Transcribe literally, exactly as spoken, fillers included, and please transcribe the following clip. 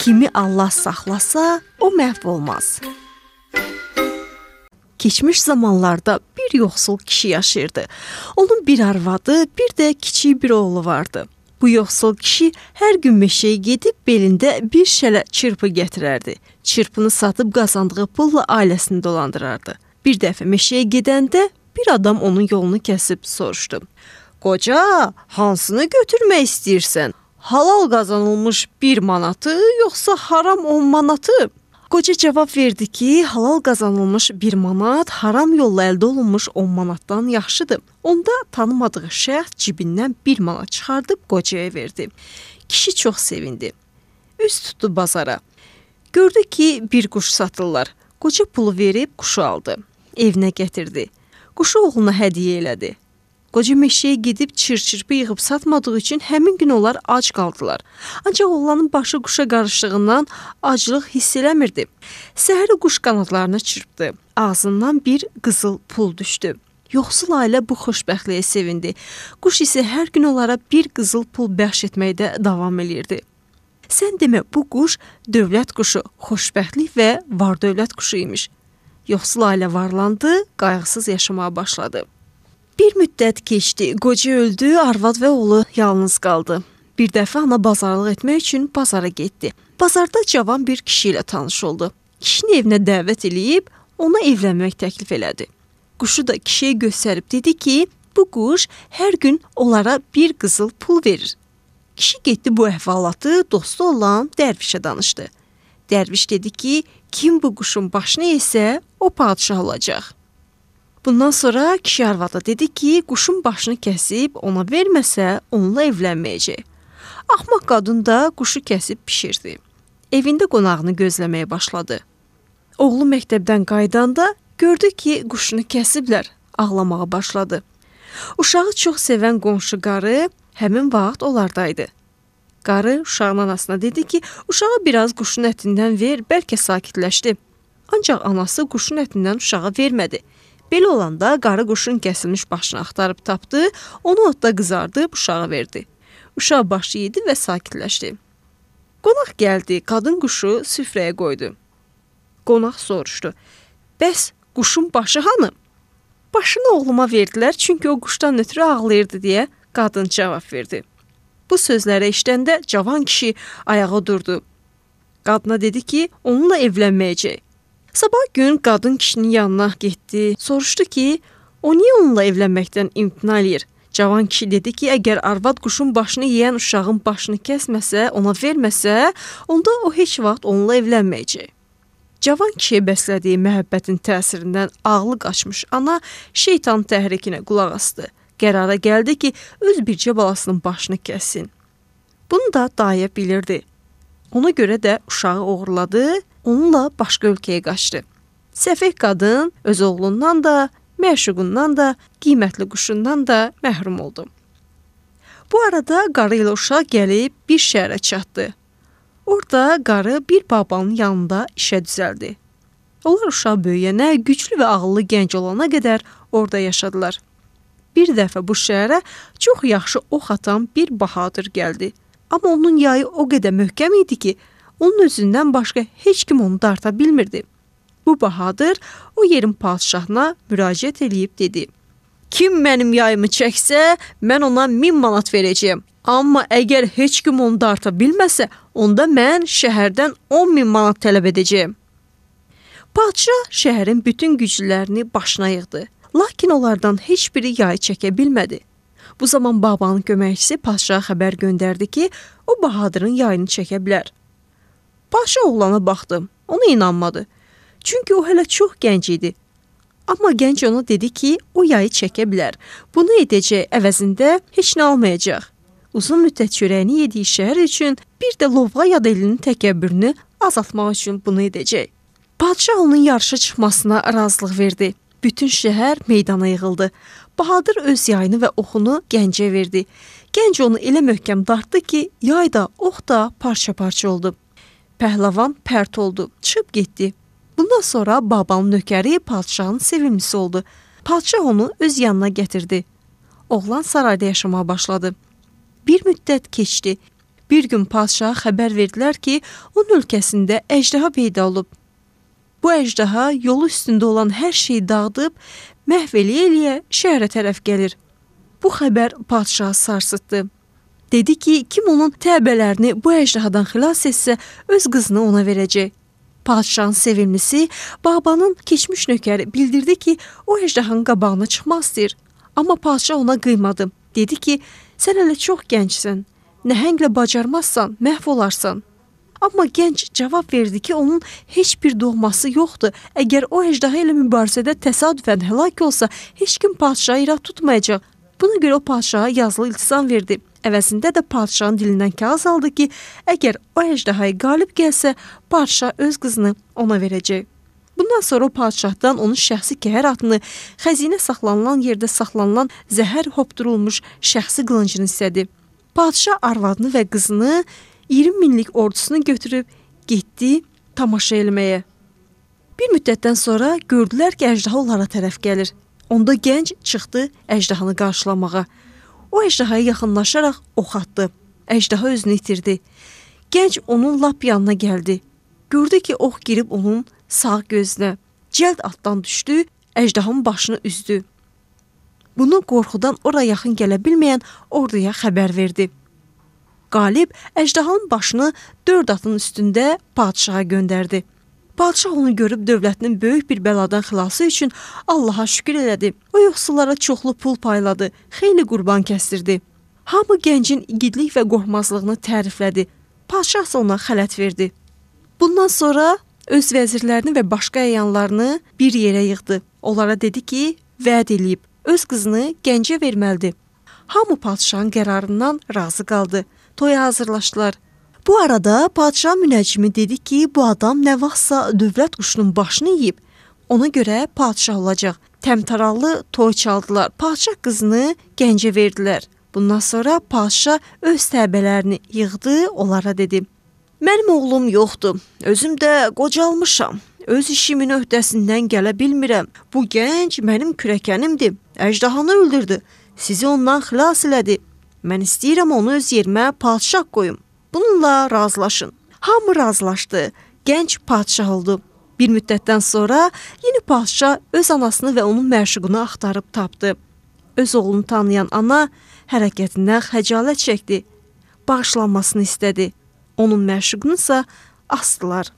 kimi Allah saxlasa, o məhv olmaz. Keçmiş zamanlarda bir yoxsul kişi yaşayırdı. Onun bir arvadı, bir də kiçik bir oğlu vardı. Bu yoxsul kişi hər gün meşəyə gedib belində bir şələ çırpı gətirərdi. Çırpını satıb qazandığı pulla ailəsini dolandırardı. Bir dəfə meşəyə gedəndə bir adam onun yolunu kəsib soruşdu. Qoca, hansını götürmək istəyirsən? Halal qazanılmış bir manatı, yoxsa haram on manatı? Qoca cavab verdi ki, halal qazanılmış bir manat, haram yolla əldə olunmuş on manatdan yaxşıdır. Onda tanımadığı şəxs cibindən bir manat çıxardıb qocaya verdi. Kişi çox sevindi. Üz tutdu bazara. Gördü ki, bir quş satırlar. Qoca pulu verib quşu aldı. Evinə gətirdi. Quşu oğluna hədiyyə elədi. Qoca meşəyə gedib çır-çırpı yığıb satmadığı üçün həmin gün onlar ac qaldılar. Ancaq oğlanın başı quşa qarışdığından aclıq hiss eləmirdi. Səhəri quş qanadlarını çırpdı. Ağzından bir qızıl pul düşdü. Yoxsul ailə bu xoşbəxtliyə sevindi. Quş isə hər gün onlara bir qızıl pul bəxş etməkdə davam edirdi. Sən demə, bu quş dövlət quşu, xoşbəxtlik və var-dövlət quşu imiş. Yoxsul ailə varlandı, qayğısız yaşamaya başladı. Bir müddət keçdi, qoca öldü, arvad və oğlu yalnız qaldı. Bir dəfə ana bazarlıq etmək üçün bazara getdi. Bazarda cavan bir kişi ilə tanış oldu. Kişini evinə dəvət eləyib, ona evlənmək təklif elədi. Quşu da kişiyə göstərib dedi ki, bu quş hər gün onlara bir qızıl pul verir. Kişi getdi bu əhvalatı dostu olan dərvişə danışdı. Dərviş dedi ki, kim bu quşun başını yesə, o padişah olacaq. Bundan sonra kişi arvada dedi ki, quşun başını kəsib ona verməsə, onunla evlənməyəcək. Axmaq qadın da quşu kəsib pişirdi. Evində qonağını gözləməyə başladı. Oğlu məktəbdən qaydanda gördü ki, quşunu kəsiblər, ağlamağa başladı. Uşağı çox sevən qonşu qarı həmin vaxt onlardaydı. Qarı uşağın anasına dedi ki, uşağa biraz quşun ətindən ver, bəlkə sakitləşdi. Ancaq anası quşun ətindən uşağa vermədi. Belə olanda qarı quşun kəsilmiş başını axtarıb tapdı, onu otda qızardıb uşağa verdi. Uşaq başı yedi və sakitləşdi. Qonaq gəldi, qadın quşu süfrəyə qoydu. Qonaq soruşdu, bəs quşun başı hanı? Başını oğluma verdilər, çünki o quşdan ötürü ağlayırdı deyə qadın cavab verdi. Bu sözləri eşidəndə cavan kişi ayağa durdu. Qadına dedi ki, onunla evlənməyəcək. Sabah gün qadın kişinin yanına getdi, soruşdu ki, o niyə onunla evlənməkdən imtina eləyir? Cavan kişi dedi ki, əgər arvad quşun başını yeyən uşağın başını kəsməsə, ona verməsə, onda o heç vaxt onunla evlənməyəcək. Cavan kişiyə bəslədiyi məhəbbətin təsirindən ağlı qaçmış ana şeytan təhrikinə qulaq asdı. Qərara gəldi ki, öz bircə balasının başını kəssin. Bunu da dayı bilirdi. Ona görə də uşağı oğurladı, onunla başqa ölkəyə qaçdı. Səfeh qadın öz oğlundan da, məşuqundan da, qiymətli quşundan da məhrum oldu. Bu arada qarı ilə uşaq gəlib bir şəhərə çatdı. Orada qarı bir babanın yanında işə düzəldi. Onlar uşaq böyüyənə, güclü və ağıllı gənc olana qədər orada yaşadılar. Bir dəfə bu şəhərə çox yaxşı ox atan bir bahadır gəldi. Amma onun yayı o qədər möhkəm idi ki, onun özündən başqa heç kim onu darta bilmirdi. Bu bahadır o yerin padişahına müraciət eləyib dedi. Kim mənim yayımı çəksə, mən ona min manat verəcəyəm. Amma əgər heç kim onu darta bilməsə, onda mən şəhərdən on min manat tələb edəcəyəm. Padişah şəhərin bütün güclülərini başına yığdı. Lakin onlardan heç biri yayı çəkə bilmədi. Bu zaman babanın köməkçisi padişaha xəbər göndərdi ki, o bahadırın yayını çəkə bilər. Padişah oğlana baxdı, ona inanmadı. Çünki o hələ çox gənc idi. Amma gənc ona dedi ki, o yayı çəkə bilər. Bunu edəcək əvəzində heç nə almayacaq. Uzun müddət çörəyini yediyi şəhər üçün bir də lovğa yad elinin təkəbbürünü azaltmaq üçün bunu edəcək. Padişah onun yarışa çıxmasına razılıq verdi. Bütün şəhər meydana yığıldı. Bahadır öz yayını və oxunu gəncə verdi. Gənc onu elə möhkəm dartdı ki, yay da, ox da parça-parça oldu. Pəhləvan pərt oldu, çıxıb getdi. Bundan sonra babanın nökəri padişahın sevimlisi oldu. Padişah onu öz yanına gətirdi. Oğlan sarayda yaşamaya başladı. Bir müddət keçdi. Bir gün padşaha xəbər verdilər ki, onun ölkəsində əjdaha peyda olub. Bu əjdaha yolu üstündə olan hər şeyi dağıdıb, məhv eləyə-eləyə şəhərə tərəf gəlir. Bu xəbər padşahı sarsıtdı. Dedi ki, kim onun təbələrini bu əjdahadan xilas etsə, öz qızını ona verəcək. Padşahın sevimlisi Bağbanın keçmiş nökəri bildirdi ki, o əjdahanın qabağına çıxmaq istəyir. Amma padşah ona qıymadı. Dedi ki, sən hələ çox gəncsən, nəhənglə bacarmazsan, məhv olarsan. Amma gənc cavab verdi ki, onun heç bir doğması yoxdur. Əgər o əjdaha ilə mübarizədə təsadüfən həlak olsa, heç kim padşahı irad tutmayacaq. Buna görə o padşaha yazılı iltizam verdi. Əvəzində də padşahın dilindən kağız aldı ki, əgər o əjdahaya qalib gəlsə, padşah öz qızını ona verəcək. Bundan sonra o padşahdan onun şəxsi kəhər atını, xəzinə saxlanılan yerdə saxlanılan zəhər hopdurulmuş şəxsi qılıncını istədi. Padşah arvadını və qızını iyirmi minlik ordusunu götürüb getdi tamaşa eləməyə. Bir müddətdən sonra gördülər ki, əjdaha onlara tərəf gəlir. Onda gənc çıxdı əjdahanı qarşılamağa. O əjdahaya yaxınlaşaraq ox atdı. Əjdaha özünü itirdi. Gənc onun lap yanına gəldi. Gördü ki, ox girib onun sağ gözünə. Cəld atdan düşdü, əjdahanın başını üzdü. Bunu qorxudan ora yaxın gələ bilməyən orduya xəbər verdi. Qalib əjdahanın başını dörd atın üstündə padşaha göndərdi. Padşah onu görüb dövlətinin böyük bir bəladan xilası üçün Allaha şükür elədi. O yoxsullara çoxlu pul payladı, xeyli qurban kəsdirdi. Hamı gəncin igidlik və qorxmazlığını təriflədi. Padşah isə ona xələt verdi. Bundan sonra öz vəzirlərini və başqa əyanlarını bir yerə yığdı. Onlara dedi ki, vəd eləyib, öz qızını gəncə verməlidir. Hamı padşahın qərarından razı qaldı. Toya hazırlaşdılar. Bu arada padşah münəccimi dedi ki, bu adam nə vaxtsa dövlət quşunun başını yeyib, ona görə padşah olacaq. Təmtərallı toy çaldılar, padşah qızını gəncə verdilər. Bundan sonra padşah öz təbələrini yığdı, onlara dedi. Mənim oğlum yoxdur, özüm də qocalmışam, öz işimin öhdəsindən gələ bilmirəm. Bu gənc mənim kürəkənimdir, əjdahanı öldürdü, sizi ondan xilas elədi. Mən istəyirəm onu öz yerimə padşah qoyum. Bununla razılaşın. Hamı razılaşdı. Gənc padşah oldu. Bir müddətdən sonra yeni padşah öz anasını və onun məşuqunu axtarıb tapdı. Öz oğlunu tanıyan ana hərəkətindən xəcalət çəkdi. Bağışlanmasını istədi. Onun məşuqunu isə asdılar.